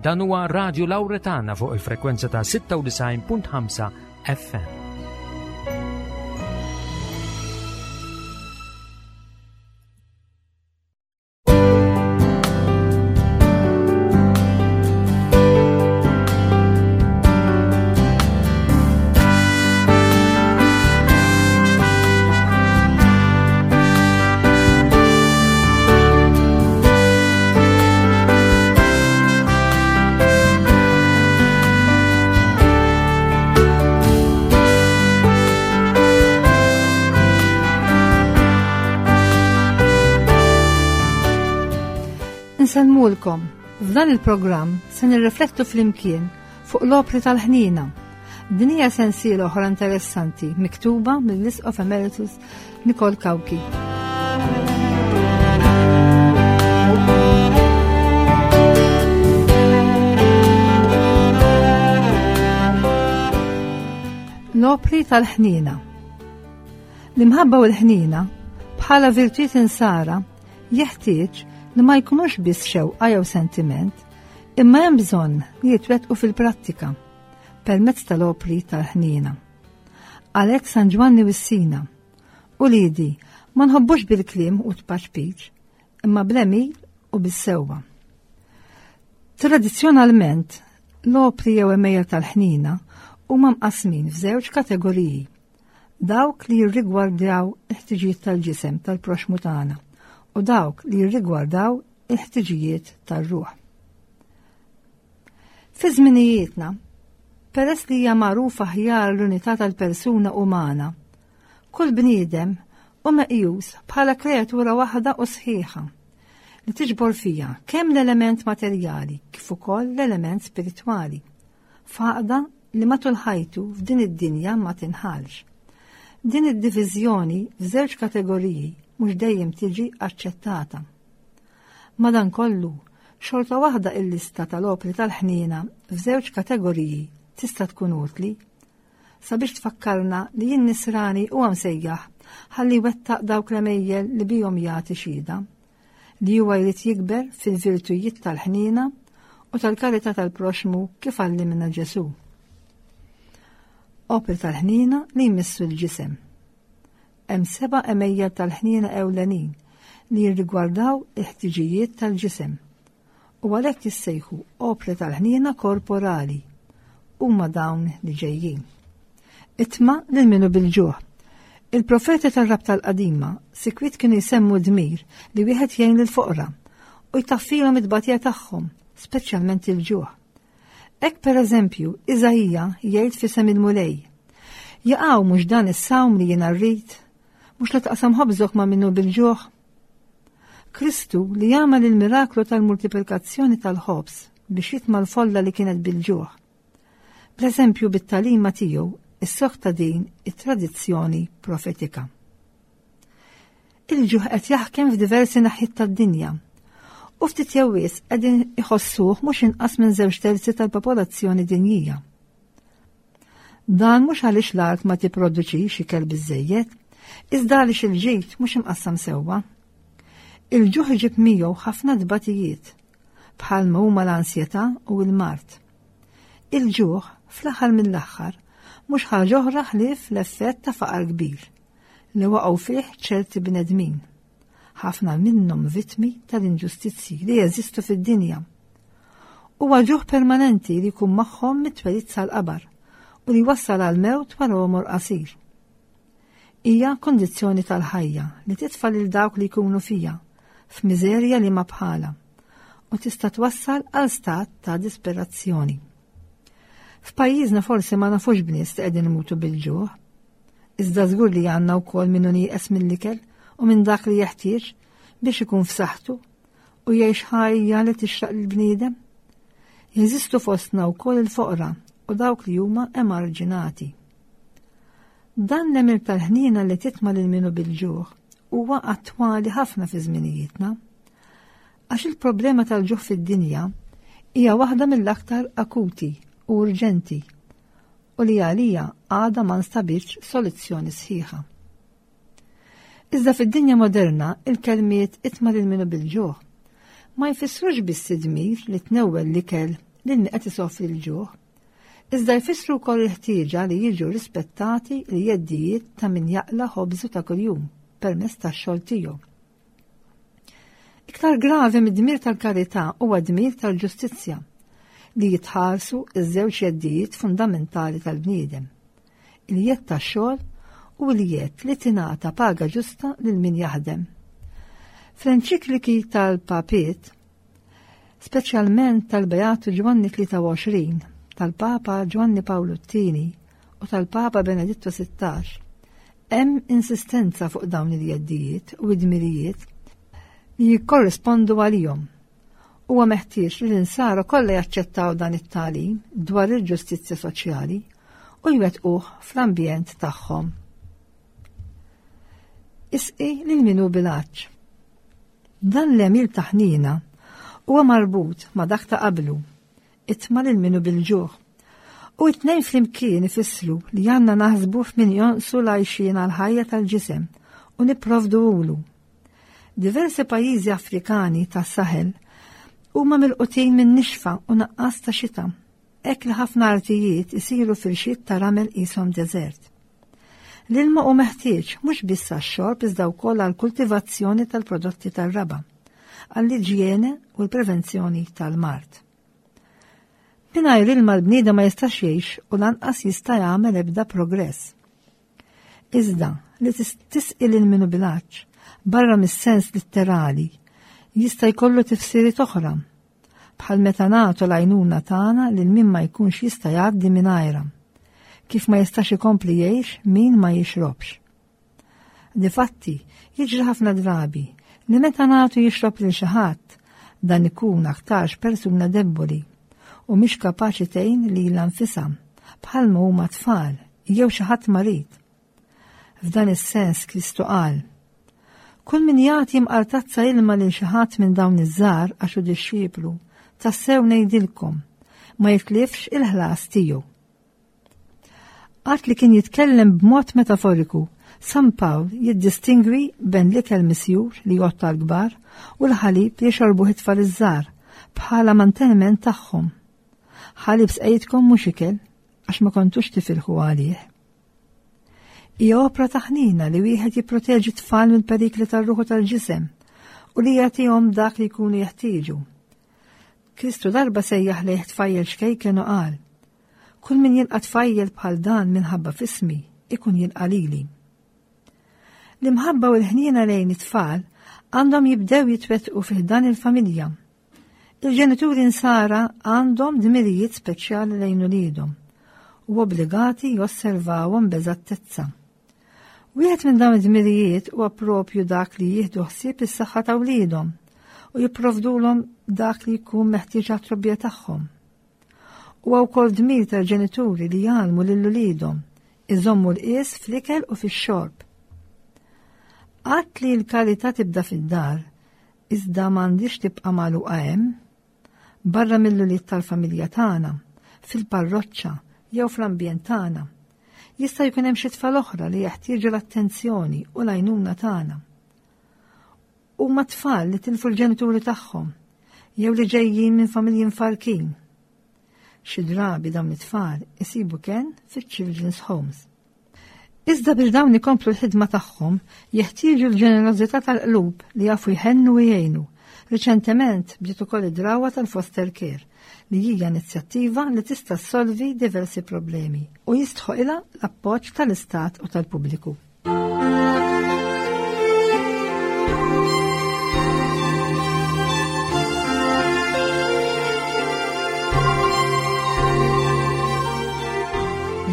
Dan huwa Radio Lauretana fuq il-frekwenza ta' 96.5 FM. Insellmulkom. F'dan il-programm se nirriflettu flimkien fuq l-opri tal-ħnina. Din hija sensiela oħra interessanti miktuba mill-Isqof Emeritus Nicole Cauchi. L-opri tal-ħnina. L-imħabba u l-ħnina bħala virtwiet insara jeħtieġ li ma jkunux biss xewqa jew sentiment, imma hemm bżonn li jitwettqu fil-prattika permezz tal-opri tal-ħnina. Għalhekk San Ġwanni wissina, Uliedi, ma nħobbux bil-kliem u tpaċpiċ, imma bl-għemil u bis-sewwa. Tradizzjonalment, l-opri jew għemejjel tal-ħnina huma mqassmin f'żewġ kategoriji. Dawk li jirrigwardaw il-ħtiġijiet tal-ġisem tal-proxmu tagħna u dawk li jirrigwardaw il-ħtiġijiet tar-ruħ. Fi żminijietna, peress li hija magħrufa aħjar l-unità tal-persuna umana, kull bniedem hu meqjus bħala kreatura waħda u sħiħa li tiġbor fiha kemm l-element materjali kif ukoll l-element spiritwali, f'għaqda li matul ħajtu f'din id-dinja ma tinħallx. Din id-diviżjoni f'żewġ kategoriji mhux dejjem tiġi aċċettata. Madankollu, xorta waħda il-lista tal-opri tal-ħniena f'żewġ kategoriji tista' tkun utli sabiex tfakkarna li n-nisrani huwa msejjaħ ħalli jwettaq dawk l-għemejjel li bihom jagħti xhieda li huwa jrid jikber fil-virtujiet tal-ħniena u tal-karità tal-proxmu kif għallimna Ġesù. Opri tal-ħniena li jmissu l-ġisem. Hemm seba' għemejjel tal-ħniena ewlenin li jirrigwardaw il-ħtiġijiet tal-ġisem u għalhekk jissejħu opri tal-ħniena korporali. Huma dawn li ġejjin. Itma' lil min hu bil-ġuħ. Il-profeti tar-Rabta l-Qadima sikwit kienu jsemmu d-dmir li wieħed jgħin lill-foqra u jtaffilhom it-tbatija tagħhom, speċjalment il-ġuħ. Hekk pereżempju, Iżaija jgħid f'isem il-Mulej, Jaqaw mhux dan is-sawm li jiena rrid, mhux li taqsam ħobżok ma' minnu bil-ġuħ. Kristu li jagħmel il-miraklu tal-multiplikazzjoni tal-ħobż biex jitma' l-folla li kienet bil-ġuħ. Bl-eżempju bit-tagħlima tiegħu issokta din it-tradizzjoni profetika. Il-ġuħ qed jaħkem f'diversi naħiet tad-dinja u ftit jew wisq qegħdin iħossuh mhux inqas minn żewġ terzi tal-popolazzjoni dinjija. Dan mhux għaliex l-art ma tipproduċix ikel biżejjed, iżda għaliex il-ġid mhux imqassam sewwa. Il-ġuħ iġib miegħu ħafna tbatijiet, bħalma huma l-ansjetà u l-mard. Il-ġuħ, fl-aħħar mill-aħħar, mhux ħaġa oħra ħlief l-effett ta' faqar kbir li waqgħu fih ċerti bnedmin, ħafna minnhom vittmi tal-inġustizzji li jeżistu fid-dinja. Huwa ġuħ permanenti li jkun magħhom mit-twelid sal-qabar u li jwassal għal mewt wara għomor qasir. Hija kondizzjoni tal-ħajja li titfa' lil dawk li jkunu fija f'miżerja li ma bħala u tista' twassal għal stat ta' disperazzjoni. F'pajjiżna forsi ma nafux b'nies li qegħdin imutu bil-ġuħ, Iżda żgur li għandna wkoll min hu nieqes mill-ikel u minn dak li jeħtieġ biex ikun f'saħħtu u jgħix ħajja li tixraq lill-bniedem. Jeżistu fostna wkoll il-foqra u dawk li huma emarġinati. Dan l-għemil tal-ħniena li titma' lil min hu bil-ġuħ huwa attwali ħafna fi żminijietna. Għax il-problema tal-ġuħ fid-dinja hija waħda mill-aktar akuti u urġenti u li għalija għadha ma nstabitx soluzzjoni sħiħa. Iżda fid-dinja moderna il-kelmiet itma' lil minu bil-ġuħ ma jfissrux biss id-dmir li tnewwel l-ikel lil min qed isofri l-ġuħ, iżda jfissru wkoll il-ħtieġa li jiġu rispettati l-jeddijiet ta' min jaqla' ħobżu ta' kuljum permezz tax-xogħol tiegħu. Iktar gravi mid-dmir tal-karità huwa dmir tal-ġustizzja li jitħarsu iż-żewġ jeddijiet fundamentali tal-bniedem, il-jedd tax-xogħol u l-jedd li tingħata paga ġusta lil min jaħdem. Fl-enċikliki tal-Papiet, speċjalment tal-Beatu Ġwanni 23, tal-Papa Ġwanni Pawlu t-Tieni u tal-Papa Benedittu 16, hemm insistenza fuq dawn il-jeddijiet u id-dmirijiet li jikkorrispondu għalihom. Huwa meħtieġ li l-insara kollha jaċċettaw dan it-tagħlim dwar il-ġustizzja soċjali u jwettquh fl-ambjent tagħhom. Isqi lil min hu bil-għatx. Dan l-għemil ta' ħniena huwa marbut ma' dak ta' qablu, itma' lil min hu bil-ġuħ. U t-tnejn flimkien ifissru li għandna naħsbu f'min jonqsu l-għajxien għall-ħajja tal-ġisem u nipprovduhulu. Diversi pajjiżi Afrikani tas-Saħel huma milqutin minn nixfa u naqqas ta' xita, hekk li ħafna artijiet isiru firxiet ta' ramel qishom deżert. L-ilma hu meħtieġ mhux biss għax-xorb iżda wkoll għall-kultivazzjoni tal-prodotti tar-raba', għall-iġjene u l-prevenzjoni tal-mard. Mingħajr ilma l-bniedem ma jistax jgħix u lanqas jista' jagħmel ebda progress. Iżda li tisqi lil minu bil-għatx, barra mis-sens litterali, jista' jkollu tifsiriet oħra, bħal meta nagħtu l-għajnuna tagħna lil min ma jkunx jista' jgħaddi mingħajrha, kif ma jistax ikompli jgħix min ma jixrobx. Difatti, jiġri ħafna drabi li meta nagħtu jixrob lil xi ħadd, dan ikun aktarx persuna debboli u mhix kapaċi tgħin lilha nfisha bħalma huma tfal jew xi ħadd marid. F'dan is-sens Kristu qal, Kull min jagħti mqar tazza ilma lil xi ħadd minn dawn iż-żgħar għax hu dixxiplu, tassew ngħidilkom, ma jitlifx il-ħlas tiegħu. Għad li kien jitkellem b'mod metaforiku, San Pawl jiddistingwi ben l-ikel misjur li jgħodd għall-kbar u l-ħalib li jxorbuh it-tfal iż-żgħar bħala manteniment tagħhom. Ħalib sqejtkom mhux ikel għax ma kontux tifilħu għalih. Hija opra ta' ħnina li wieħed jipproteġi tfal mill-perikli tar-ruħu tal-ġisem u li jagħtihom dak li jkunu jeħtieġu. Kristu darba sejjaħ lejh tfajjel xkejken u qal, Kull min jilqa' tfajjel bħal dan minħabba fismi, ikun jilqa' lili. L-imħabba u l-ħniena lejn it-tfal għandhom jibdew jitwettqu fih dan il-familja Il-ġenituri nsara għandhom dmirijiet speċjali lejn uliedhom u obbligati josservawhom b'eżattezza. Wieħed minn dawn id-dmirijiet huwa propju dak li jieħdu ħsieb is-saħħa ta' wliedhom u jipprovdulhom dak li jkun meħtieġ għat-trobbija tagħhom. Huwa wkoll dmir tal-ġenituri li jgħallmu lil uliedhom iżommu l-qies fl-ikel u fix-xorb. Qatt li l-karità tibda fid-dar Iżda m'għandhiex tibqa' magħluqa hemm. Barra mill-ulied tal-familja tagħna, fil-parroċċa jew fl-ambjent tagħna. Jista' jkun hemm xi tfal oħra li jeħtieġu l-attenzjoni u l-għajnuna tagħna. Huma tfal li tilfu l-ġenituri tagħhom jew li ġejjin minn familji mfarkin. Xi drabi dawn it-tfal isibu kenn fiċ-children's homes. Iżda biex dawn ikomplu l-ħidma tagħhom, jeħtieġu l-ġenerożità tal-qlub li jafu jħennu u jgħinu. Riċentement bdiet ukoll id-drawwa tal-foster care, li hija inizjattiva li tista' ssolvi diversi problemi u jistħoqilha l-appoġġ tal-Istat u tal-pubbliku.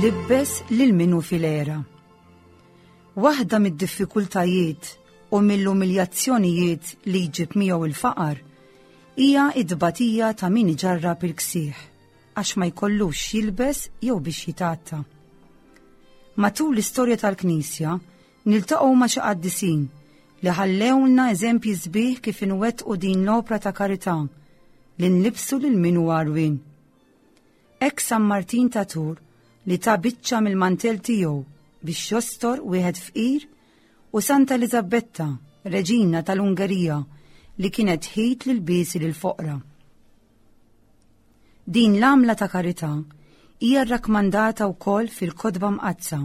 Libbes lil min hu fil-għera. Waħda mid-diffikultajiet u mill-umiljazzjonijiet li jġib miegħu il-faqar hija id-tbatija ta' min iġarrab il-ksieħ għax ma jkollux jilbes jew biex jitgħatta. Matul l-istorja tal-Knisja niltaqgħu ma' xi qaddisin li ħallewlna eżempji sbieħ kif inwettqu din l-opra ta' karità li nlibsu lil min hu għarwien. Hekk San Martin ta' Tur li ta biċċa mill-mantell tiegħu biex jostor wieħed fqir u Santa Eliżabetta, reġina tal-Ungerija, li kienet ħit lil biesi lil foqra. Din l-għamla ta' karità hija rrakmandata wkoll fil-Kotba Mqaddsa.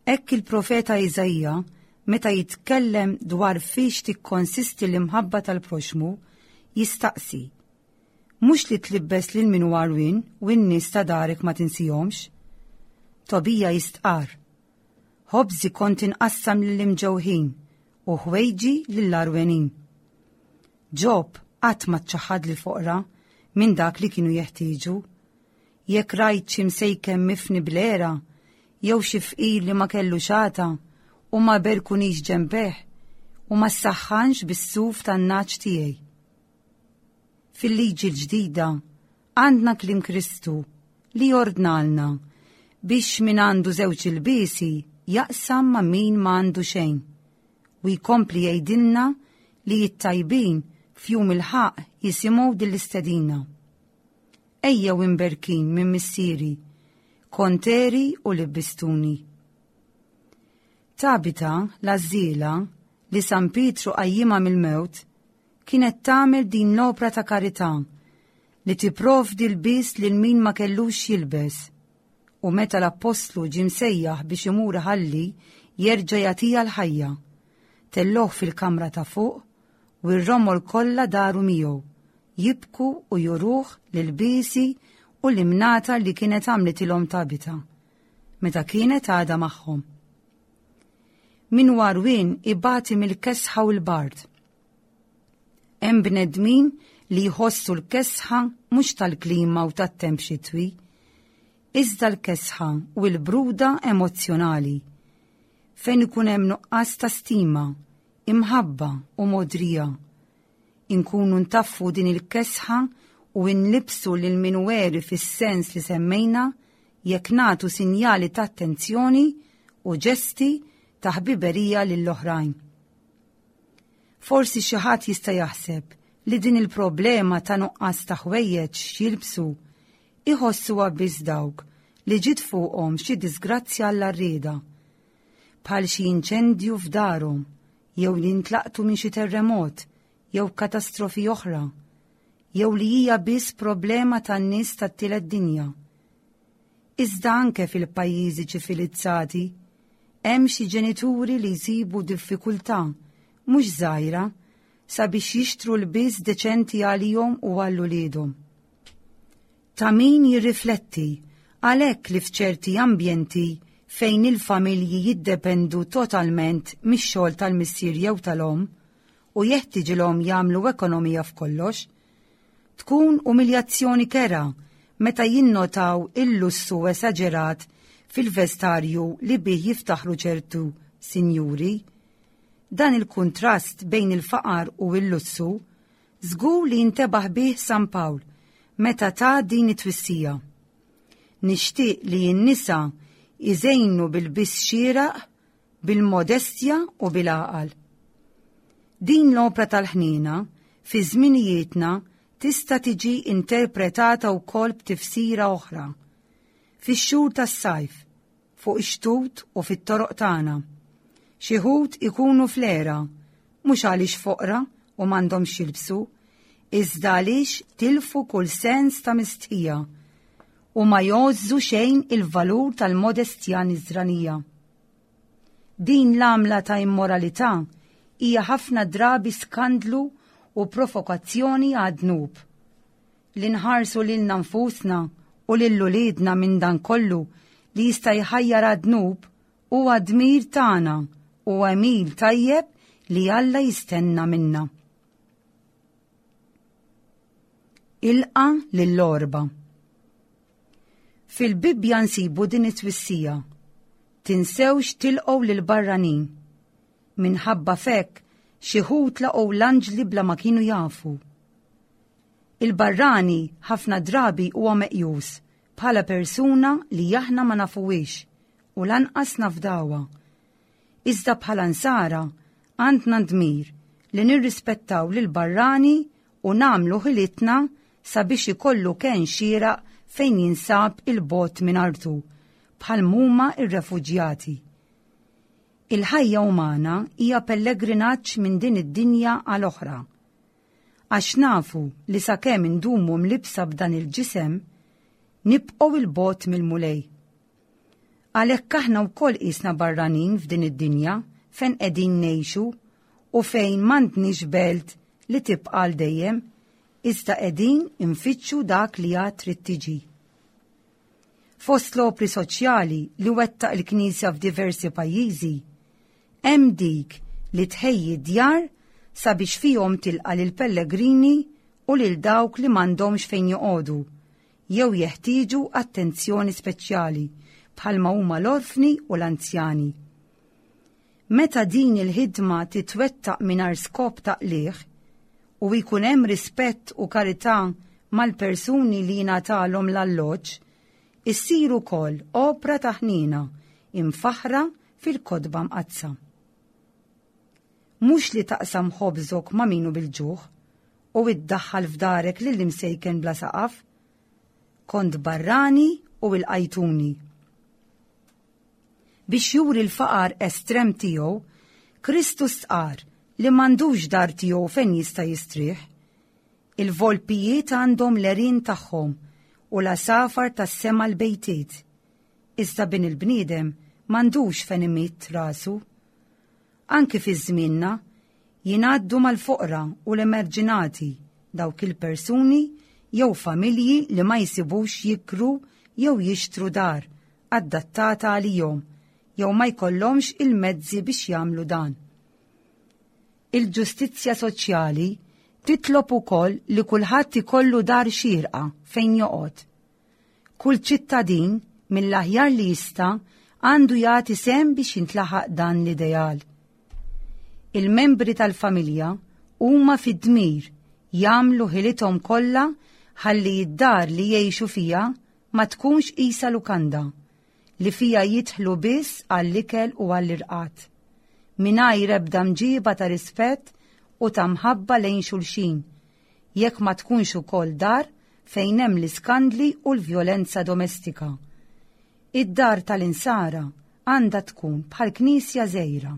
Hekk il-profeta Iżaija meta jitkellem dwar fiex tikkonsisti l-imħabba tal-proxmu, jistaqsi, Mhux li tlibbes lil min hu għarwien u n-nies ta' darek ma tinsihomx? Tobija jistqarr, Ħobżi kont inqassam lill-imġewħin u ħwejġi lill-għarwenin. Ġob qatt ma ċaħħad lill-foqra minn dak li kienu jeħtieġu. Jekk rajt xi msejken mifni bl-għera, jew xi fqir li ma kellu xata u ma berkunix ġenbeh u ma ssaħħanx bis-suf tan-nagħaġ tiegħi. Fil-liġi l-ġdida għandna kliem Kristu li jordnalna biex min għandu żewġ ilbiesi jaqsam ma' min ma għandu xejn. U jkompli jgħidilna li t-tajbin f'jum il-ħaqq jisimgħu din l-istedina. Ejjew imberkin minn missieri, kont għeri u libbistuni. Tabita, l-għażżiela, li San Pietru qajjimha mill-mewt, kienet tagħmel din l-opra ta' karità li tipprovdi lbies lil min ma kellux x'jilbes. U meta l-appostlu ġie msejjaħ biex imur iħalli jerġa' jagħtiha l-ħajja, tellgħuh fil-kamra ta' fuq u r-romol kollha daru miegħu, jibku u juruh l-ilbiesi u l-imnata li kienet għamlitilhom Tabita, meta kienet għadha magħhom. Min hu għarwien ibati mill-kesħa u l-bard. Hemm bnedmin li jħossu l-kesħa mhux tal-klima u tat-temp xitwi, iżda l-kesħa u l-bruda emozzjonali, fejn ikun hemm nuqqas ta' stima, imħabba u mogħdrija. Inkunu ntaffu din il-kesħa u nlibbsu lil min hu għeri fis-sens li semmejna jekk nagħtu sinjali ta' attenzjoni u ġesti ta' ħbiberija lill-oħrajn. Forsi xi ħadd jista' jaħseb li din il-problema ta' nuqqas ta' ħwejjeġ x'jilbsu iħossuha biss dawk li ġiet fuqhom xi diżgrazzja għall-għarrieda, bħal xi inċendju f'darhom jew li ntlaqtu minn xi terremot jew katastrofi oħra, jew li hija biss problema tan-nies tat-tielet dinja. Iżda anke fil-pajjiżi ċivilizzati hemm xi ġenituri li jsibu diffikultà mhux żgħira sabiex jixtru lbies deċenti għalihom u għal uliedhom. Ta' min jirrifletti għalhekk li f'ċerti ambjenti fejn il-familji jiddependu totalment mix-xogħol tal-missier jew tal-omm u jeħtiġilhom jagħmlu ekonomija f'kollox, tkun umiljazzjoni kerha meta jinnotaw il-lussu esaġerat fil-vestarju li bih jiftaħru ċertu sinjuri. Dan il-kuntrast bejn il-faqar u l-lussu żgur li jintebaħ bih San Pawl meta ta din it-twissija. Nixtieq li n-nisa jżejnu bil-biss xieraq, bil-modestja u bil-għaqal. Din l-opra tal-ħniena fi żminijietna tista' tiġi interpretata wkoll b'tifsira oħra. Fix-xhur tas-sajf, fuq ix-xtut u fit-toroq tagħna. Xi wħud ikunu fl-għera, mhux għaliex foqra u m'għandhomx x'jilbsu, iżda għaliex tilfu kull sens ta' mistħija u ma jgħożżu xejn il-valur tal-modestja Nisranija. Din l-għamla ta' immoralità hija ħafna drabi skandlu u provokazzjoni għad-dnub. Li nħarsu lilna nfusna u lil uliedna minn dan kollu li jista' jħajjar għad-dnub huwa dmir tagħna u għemil tajjeb li Alla jistenna minna. Ilqa' lill-għorba. Fil-Bibbja nsibu din it-twissija, Tinsewx tilqgħu lill-barranin. Minħabba f'hekk xi wħud laqgħu l-anġli bla ma kienu jafu. Il-barrani ħafna drabi huwa meqjus bħala persuna li aħna ma nafuhiex u lanqas nafdawha. Iżda bħala nsara għandna dmir li nirrispettaw lill-barrani u nagħmlu ħilitna sabiex ikollu kenn xieraq fejn jinsab 'il bogħod minn artu, bħal m'huma r-refuġjati. Il-ħajja umana hija pellegrinaġġ minn din id-dinja għal oħra. Għax nafu li sakemm indumu mlibbsa b'dan il-ġisem, nibqgħu 'il bogħod mill-Mulej. Għalhekk aħna wkoll qisna barranin f'din id-dinja fejn qegħdin ngħixu u fejn m'għandniex belt li tibqa' għal dejjem, iżda qegħdin infittxu dak li għad trid tiġi. Fost l-opri soċjali li wettaq il-Knisja f'diversi pajjiżi, hemm dik li tħejji djar sabiex fihom tilqa' lill-pellegrini u lil dawk li m'għandhomx fejn joqogħdu jew jeħtieġu attenzjoni speċjali bħalma huma l-orfni u l-anzjani. Meta din il-ħidma titwettaq mingħajr skop ta' qligħ u jkun hemm rispett u karità mal-persuni li jingħatalhom l-alloġġ, issir ukoll opra ta' ħniena imfaħħra fil-Kotba Mqaddsa. Mhux li taqsam ħobżok ma' min hu bil-ġuħ u iddaħħal f'darek lill-imsejken bla saqaf. Kont barrani u ilqajtuni. Biex juri l-faqar estrem tiegħu, Kristu stqarr li m'għandux dar tiegħu fejn jista' jistrieħ. Il-volpijiet għandhom l-għerien tagħhom u l-għasafar tas-sema l-bejtiet. Iżda bin il-bniedem m'għandux fejn imidd rasu. Anki fi żmienna, jingħaddu mal-foqra u l-emerġinati, dawk il-persuni jew familji li ma jsibux jikru jew jixtru dar adattata għalihom jew ma jkollhomx il-mezzi biex jagħmlu dan. Il-ġustizzja soċjali titlob ukoll li kulħadd ikollu dar xierqa fejn joqgħod. Kull ċittadin, mill-aħjar li jista', għandu jagħti sehem biex jintlaħaq dan l-ideal. Il-membri tal-familja huma fid-dmir jagħmlu ħilithom kollha ħalli d-dar li jgħixu fiha ma tkunx qisha lukanda li fiha jidħlu biss għall-ikel u għall-irqad, mingħajr ebda mġiba ta' rispett u ta' mħabba lejn xulxin, jekk ma tkunx ukoll dar fejn hemm l-iskandli u l-vjolenza domestika. Id-dar tal-Insara għandha tkun bħal knisja żgħira,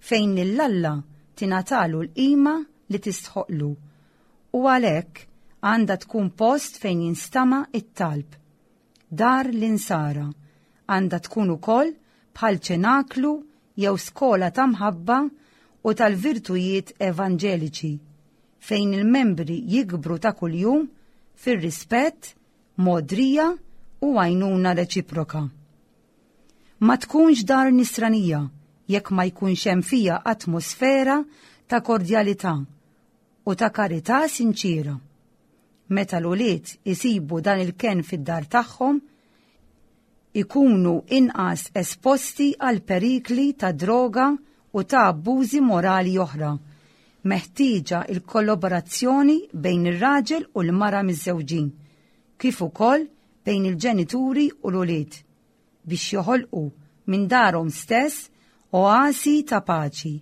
fejn lil Alla tingħatalu l-qima li tistħoqqlu u għalhekk għandha tkun post fejn jinstama' t-talb. Dar l-Insara għandha tkun ukoll bħal ċenaklu jew skola ta' mħabba u tal-virtujiet evanġeliċi, fejn il-membri jikbru ta' kuljum fir-rispett, mogħdrija u għajnuna reċiproka. Ma tkunx dar nisranija jekk ma jkunx hemm fiha atmosfera ta' kordjalità u ta' karità sinċiera. Meta l-ulied isibu dan il-kenn fid-dar tagħhom, ikunu inqas esposti għal perikli ta' droga u ta' abbużi morali oħra. Meħtieġa l-kollaborazzjoni bejn ir-raġel u l-mara miżżewġin, kif ukoll bejn il-ġenituri u l-ulied, biex joħolqu minn darhom stess oasi ta' paċi.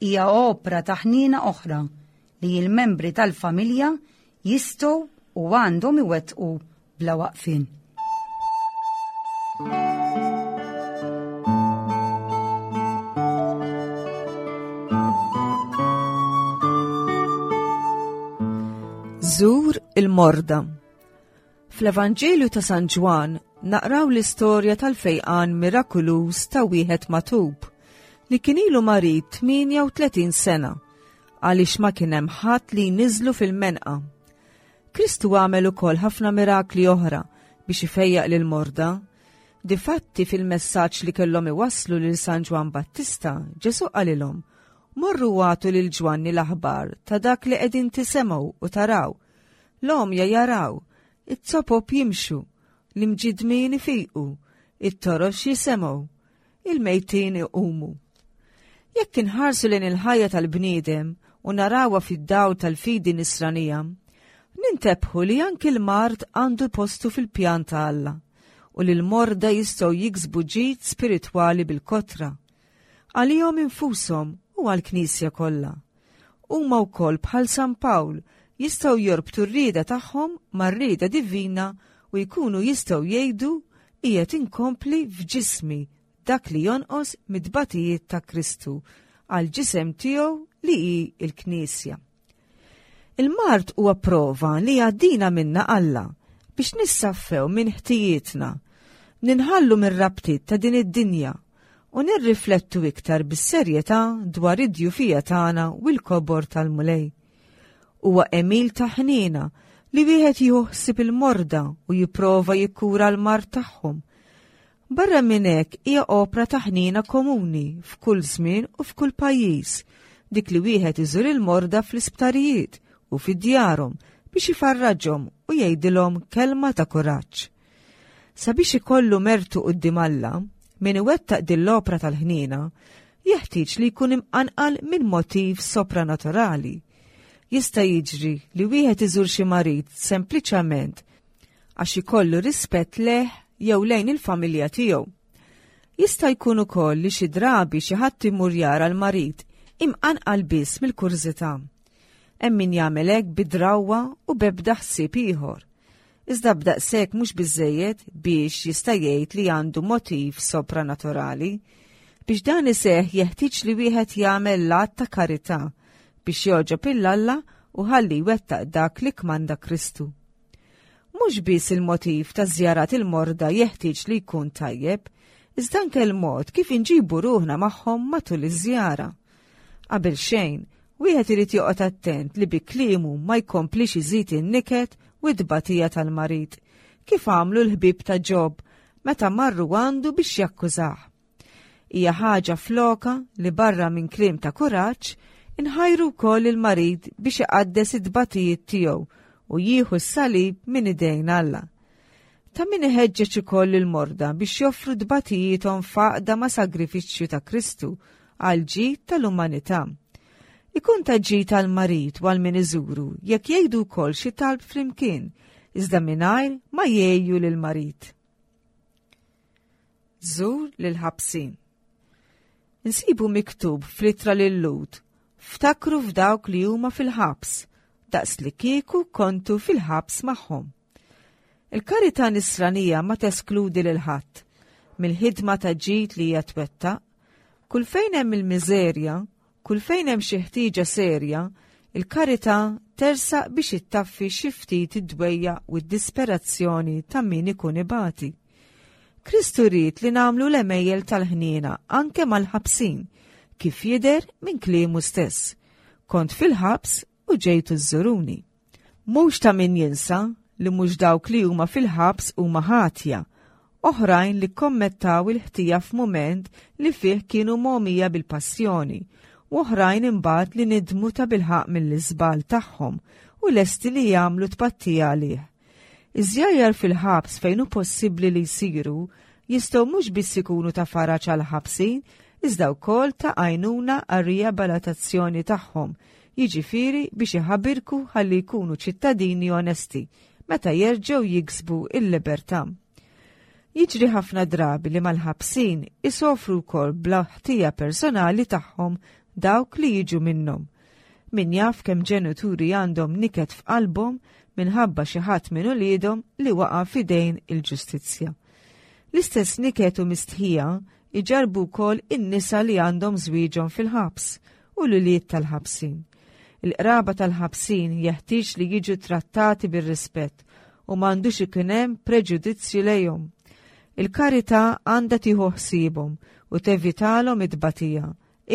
Hija opra ta' ħniena oħra li l-membri tal-familja jistgħu u għandhom iwettqu bla waqfien. Zur il-morda. Fl-Evanġelju ta' San Ġwann naqraw l-istorja tal-fejqan mirakuluż ta' wieħed matub li kien ilu marid 38 sena għaliex ma kien hemm ħadd li jniżlu fil-menqa. Kristu għamel ukoll ħafna mirakli oħra biex ifejjaq lil morda. Difatti fil-messaġġ li kellhom iwasslu lil San Ġwann Battista, Ġesù qalilhom, Morru għatu lil Ġwanni l-aħbar ta' dak li qegħdin tisemgħu u taraw. L-għomja jaraw, it-zopop jimxu, l-imġidmin ifiqu, it-torox jisemgħu, il-mejtin iqumu. Jekk inħarsu lejn il-ħajja tal-bniedem u narawha fid-dawl tal-fidi nisranija, nintebħu li anki l-mard għandu postu fil-pjan ta' Alla u li l-morda jistgħu jiksbu ġid spiritwali bil-kotra, għalihom infushom u għall-Knisja kollha. Huma wkoll bħal San Pawl jistgħu jorbtu r-rieda tagħhom mar-rieda divina u jkunu jistgħu jgħidu qiegħed inkompli f'ġismi dak li jonqos mit-tbatijiet ta' Kristu għall-ġisem tiegħu li hi l-Knisja. Il-mard huwa prova li jgħaddina minna Alla biex nissaffew minn ħtijietna, ninħallu mir-rabtiet ta' din id-dinja u nirriflettu iktar bis-serjetà dwar id-djufija tagħna u l-kobor tal-Mulej. Huwa għemil ta' ħniena li wieħed jieħu ħsieb il-morda u jipprova jikkura l-mard tagħhom. Barra minn hekk hija opra ta' ħniena komuni f'kull żmien u f'kull pajjiż, dik li wieħed iżur il-morda fl-isptarijiet u fi djarhom biex ifarraġhom u jgħidilhom kelma ta' kuraġġ. Sabiex ikollu mertu quddiem Alla, min iwettaq din l-opra tal-ħniena jeħtieġ li jkun imqanqal minn motiv sopranaturali. Jista' jiġri li wieħed iżur xi marid sempliċement għax ikollu rispett lejh jew lejn il-familja tiegħu. Jista' jkun ukoll li xi drabi xi ħadd imur jara l-marid imqanqal biss mill-kurżità. Hemm min jagħmel hekk bi drawwa u b'ebda ħsieb ieħor. Iżda b'daqshekk mhux biżżejjed biex jista' jgħid li għandu motiv sopranaturali. Biex dan iseħħ jeħtieġ li wieħed jagħmel l-att ta' karità biex jogħġob 'il Alla u ħalli jwettaq dak li kmanda Kristu. Mhux biss il-motiv ta' żjarat il-morda jeħtieġ li jkun tajjeb, iżda anke l-mod kif inġibu ruħna magħhom matul iż-żjara. Qabel xejn, wieħed irid joqgħod attent li bi kliemu ma jkomplix iżid in-niket u t-tbatija tal-marid, kif għamlu l-ħbieb ta' Ġob meta marru għandu biex jakkużah. Hija ħaġa floka li barra minn kliem ta' kuraġġ, inħajru wkoll il-marid biex iqaddes it-tbatijiet tiegħu u jieħu s-salib minn idejn Alla. Ta' min iħeġġeġ ukoll il-morda biex joffru tbatijiethom f'għaqda ma' sagrifiċċju ta' Kristu għal ġid tal-umanità. Ikun ta' ġid għal marid u għal min iżuru jekk jgħidu wkoll xi talb flimkien, iżda mingħajr ma jgħejju lill-marid. Żur lill-ħabsin. Insibu miktub fl-ittra lil-Lhud, Ftakru f'dawk li huma fil-ħabs, daqs li kieku kontu fil-ħabs magħhom. Il-karità nisranija ma teskludi lil ħadd mill-ħidma ta' ġid li hija twettaq. Kull fejn hemm il-miżerja, Kull fejn hemm xi ħtieġa serja, il-karità tersaq biex ittaffi xi ftit id-dwejjaq u d-disperazzjoni ta' min ikun ibati. Kristu ried li nagħmlu l-għemejjel tal-ħniena anke mal-ħabsin, kif jidher minn kliemu stess. Kont fil-ħabs u ġejtu żżuruni. Mhux ta' min jinsa li mhux dawk li huma fil-ħabs huma ħatja, oħrajn li kkommettaw il-ħtija f'mument li fih kienu mogħmija bil-passjoni, u oħrajn imbagħad li nidmu tabilħaqq mill-iżball tagħhom u lesti li jagħmlu tpattija għalih. Iż-żjajjar fil-ħabs fejn hu possibbli li jsiru jistgħu mhux biss ikunu ta' faraġ għall-ħabsin iżda wkoll ta' għajnuna għar-riabalatazzjoni tagħhom, jiġifieri biex iħabirku ħalli jkunu ċittadini onesti meta jerġgħu jiksbu l-libertà. Jiġri ħafna drabi li mal-ħabsin isofru wkoll bla ħtija personali tagħhom dawk li jiġu minnhom. Min jaf kemm ġenituri għandhom niket f'qalbhom minħabba xi ħadd minn uliedhom li waqa' f'idejn il-ġustizzja. L-istess niket u mistħija iġarrbu wkoll in-nisa li għandhom żwieġhom fil-ħabs u l-ulied tal-ħabsin. Il-qraba tal-ħabsin jeħtieġ li jiġu trattati bir-rispett u m'għandux ikun hemm preġudizzju lejhom. Il-karità għandha tieħu ħsiebhom u tevitalhom it-tbatija,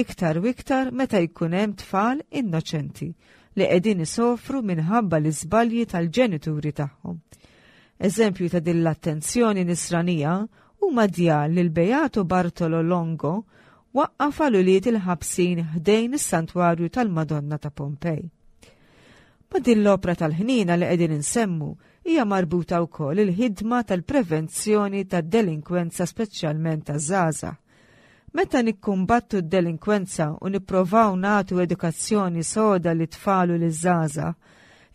iktar u iktar meta jkun hemm tfal innoċenti li qegħdin isofru minħabba l-iżbalji tal-ġenituri tagħhom. Eżempju ta' din l-attenzjoni nisranija huma djar li l-Beato Bartolo Longo waqqaf għal ulied il-ħabsin ħdejn is-Santwarju tal-Madonna ta' Pompej. Ma' din l-opra tal-ħniena li qegħdin insemmu hija marbuta wkoll il-ħidma tal-prevenzjoni tad-delinkwenza speċjalment taż-żgħażagħ. Meta nikkumbattu d-delinkwenza u nipprovaw nagħtu edukazzjoni soda lit-tfal u liż-żgħażagħ,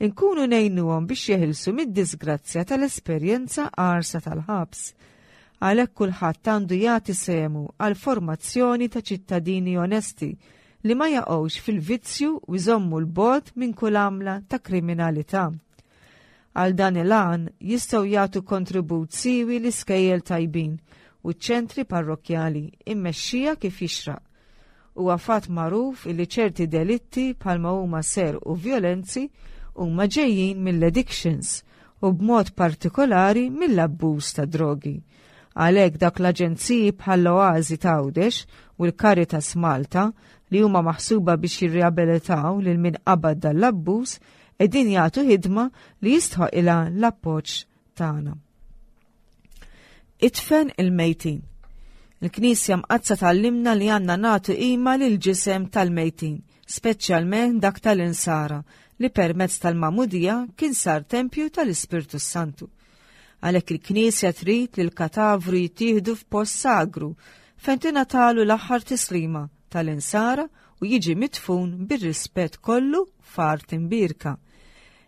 inkunu ngħinuhom biex jeħilsu mid-diżgrazzja tal-esperjenza qarsa tal-ħabs. Għalhekk kulħadd għandu jagħti sehmu għall-formazzjoni ta' ċittadini onesti li ma jaqgħux fil-vizzju u jżommu 'l bogħod minn kull għamla ta' kriminalità. Għal dan il-għan jistgħu jagħtu kontribut siewi l-iskejjel tajbin u ċ-ċentri parrokkjali immexxija kif jixraq. Huwa fatt magħruf illi ċerti delitti bħalma huma serq u vjolenzi huma ġejjin mill-addictions u b'mod partikolari mill-abbuż ta' drogi. Għalhekk dak l-aġenziji bħall-Oażi t'Għawdex u l-Caritas Malta li huma maħsuba biex jirriabilitaw lil min qabad dan l-abbuż qegħdin jagħtu ħidma li jistħoqilha l-appoġġ tagħna. Idfen il-mejtin. Il-Knisja Mqaddsa tgħallimna li għandna nagħtu qima lill-ġisem tal-mejtin, speċjalment dak tal-insara li permezz tal-magħmudija kien sar tempju tal-Ispirtu s-Santu. Għalhekk il-Knisja trid li l-katavru jittieħdu f'post sagru fejn tingħatalu l-aħħar tislima tal-insara u jiġi midfun bir-rispett kollu f'art imbierka.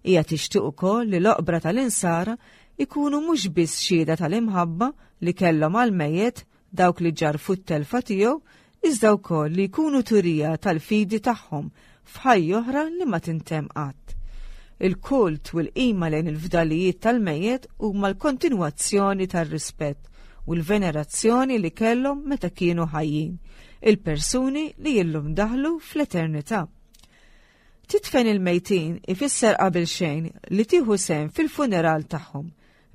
Hija tixtieq ukoll li l-oqbra tal-insara jkunu mhux biss xhieda tal-imħabba li kellhom għall-mejjet dawk li ġarrfu t-telfa tiegħu, iżda wkoll li jkunu turija tal-fidi tagħhom f'ħajja oħra li ma tintemm qatt. Il-kult u l-qima lejn il-fdalijiet tal-mejjet huma l-kontinwazzjoni tar-rispett u l-venerazzjoni li kellhom meta kienu ħajjin, il-persuni li illum daħlu fl-eternità. Tidfen il-mejtin ifisser qabel xejn li tieħu sehem fil-funeral tagħhom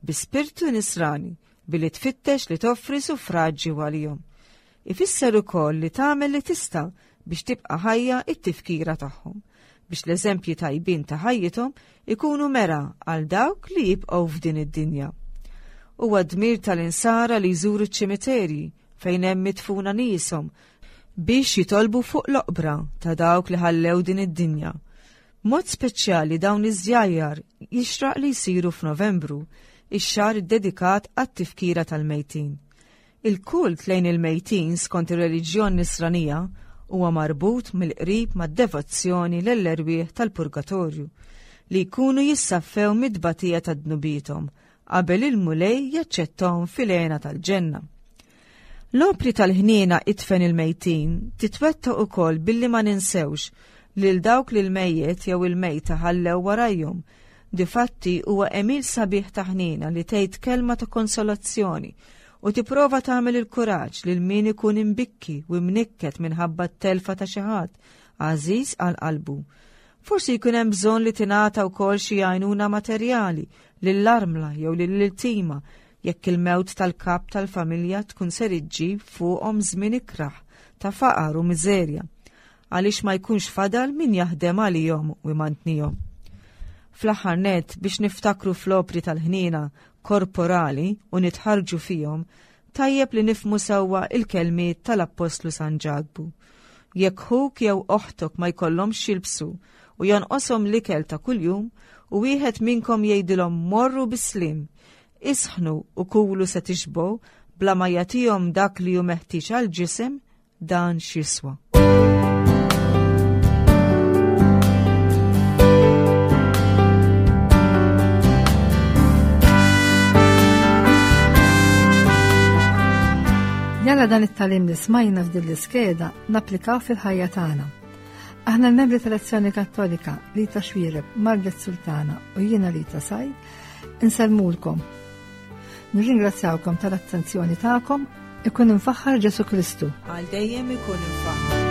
bi spirtu nisrani billi tfittex li toffri suffraġġi għalihom. Ifisser ukoll li tagħmel li tista' biex tibqa' ħajja t-tifkira tagħhom, biex l-eżempji tajbin ta' ħajjithom ikunu mera għal dawk li jibqgħu f'din id-dinja. Huwa dmir tal-insara li jżuru ċ-ċimiterji fejn hemm midfuna nieshom biex jitolbu fuq l-oqbra ta' dawk li ħallew din id-dinja. B'mod speċjali dawn iż-żjajjar jixraq li jsiru f'Novembru, ix-xahar iddedikat għat-tifkira tal-mejtin. Il-kult lejn il-mejtin skont ir-reliġjon Nisranija huwa marbut mill-qrib mad-devozzjoni lell-erwieħ tal-purgatorju, li jkunu jissaffew mit-tbatija ta' dnubiethom qabel il-Mulej jaċċettahom fil-hena tal-ġenna. L-opri tal-ħniena idfen il-mejtin titwettaq ukoll billi ma ninsewx lil dawk li l-mejjet jew il-mejta ħallew warajhom. Difatti huwa għemil sabiħ ta' ħniena li tgħid kelma ta' konsolazzjoni u tipprova tagħmel il-kuraġġ lil min ikun imbikki u mnikket minħabba t-telfa ta' xi ħadd għażiż għal qalbu. Forsi jkun hemm bżonn li tingħata wkoll xi għajnuna materjali lill-armla jew lill-iltima jekk il-mewt tal-kap tal-familja tkun ser iġġib fuqhom żmien ikrah ta' faqar u miżerja, għaliex ma jkunx fadal min jaħdem għalihom u jmantnihom. Fl-aħħar nett, biex niftakru fl-opri tal-ħniena korporali u nitħarrġu fihom, tajjeb li nifhmu sewwa il-kelmiet tal-Appostlu San Ġakbu. Jekk ħuk jew oħtok ma jkollhomx x'jilbsu u jonqoshom l-ikel ta' kuljum, u wieħed minnkom jgħidilhom morru bis-sliem, isħnu u kulu se tixbgħu, bla ma jagħtihom dak li hu meħtieġ għall-ġisem, dan x'jiswa? Jalla dan it-talim li smajna f'din l-iskeda napplikaw fil-ħajja tagħna. Aħna l-membri tal-Azzjoni Kattolika Rita Xwireb, Margaret Sultana u jiena Rita Sajd, insellmulkom. Nirringrazzjawkom tal-attenzjoni tagħkom, ikun imfaħħar Ġesu Kristu. Għal dejjem ikun imfaħħar.